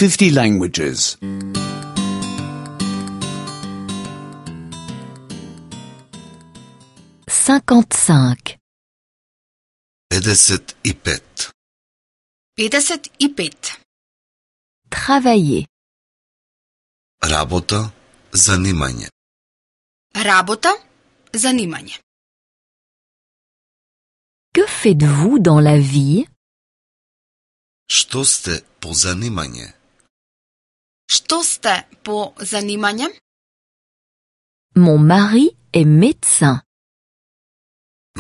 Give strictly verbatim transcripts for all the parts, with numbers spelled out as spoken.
fifty languages. cinquante-cinq. педесет и пет. педесет и пет. Travailler. Работа, занимање. Работа, занимање. Que faites-vous dans la vie? Што сте по занимање? Што сте по занимање? Mon mari est médecin.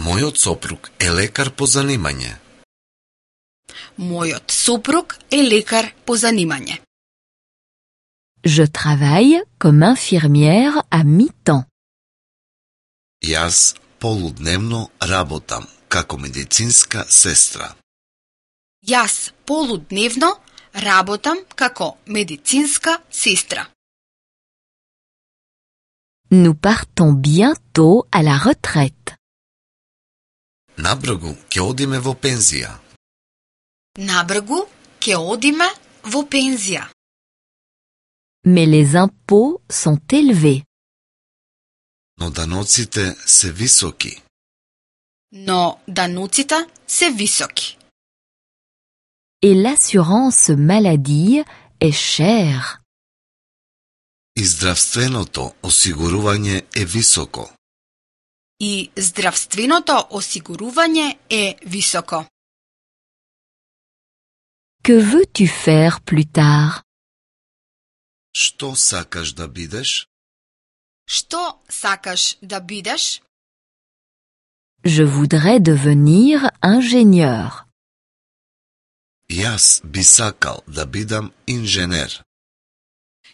Мојот сопруг е лекар по занимање. Мојот сопруг е лекар по занимање. Je travaille comme infirmière à mi-temps. Јас полудневно работам како медицинска сестра. Јас полудневно работам како медицинска сестра. Nous partons bientôt à la retraite. Набргу ќе одиме во пензија. Набргу ќе одиме во пензија. Mais les impôts sont élevés. Но даноците се високи. Но даноците се високи. Et l'assurance maladie est chère. И здравственото осигурување е високо. И здравственото осигурување е високо. Que veux-tu faire plus tard? Што сакаш да бидеш? Што сакаш да бидеш? Je voudrais devenir ingénieur. Јас би сакал да бидам инженер.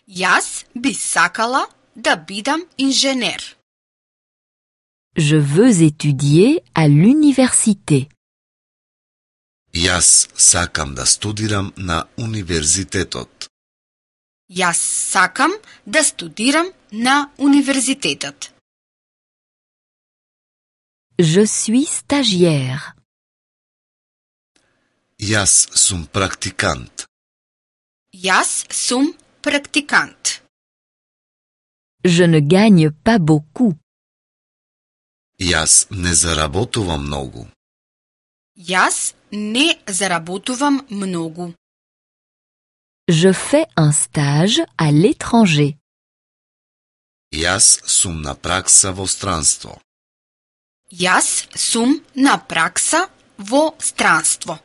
Јас би сакала да бидам инженер. Je veux étudier à l'université. Јас сакам да студирам на универзитетот. Јас сакам да студирам на универзитетот. Je suis stagiaire. Јас сум практикант. Јас сум практикант. Je ne gagne pas beaucoup. Јас не заработувам многу. Јас не заработувам многу. Je fais un stage à l'étranger. Јас сум на пракса во странство. Јас сум на пракса во странство.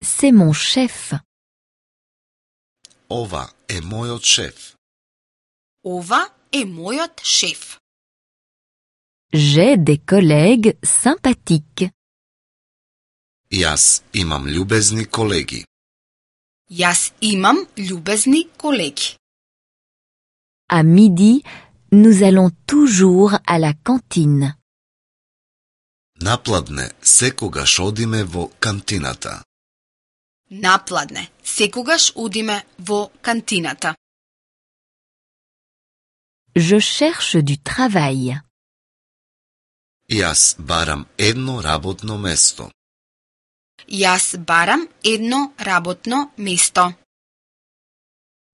C'est mon chef. Ова е мојот шеф. Ова е мојот шеф. J'ai des collègues sympathiques. Јас имам љубезни колеги. Јас имам љубезни колеги. À midi, nous allons toujours à la cantine. Напладне секогаш одиме во кантината. Напладне секогаш одиме во кантината. Je cherche du travail. Јас барам едно работно место. Јас барам едно работно место.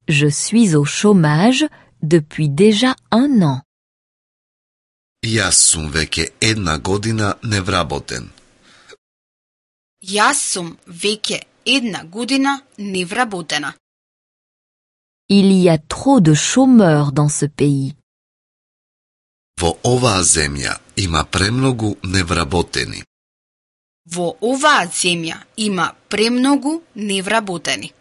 Je suis au chômage depuis déjà un an. Јас сум веќе една година невработен. Јас сум веќе една година невработена. Il y a trop de chômeurs dans ce pays. Во оваа земја има премногу невработени. Во оваа земја има премногу невработени.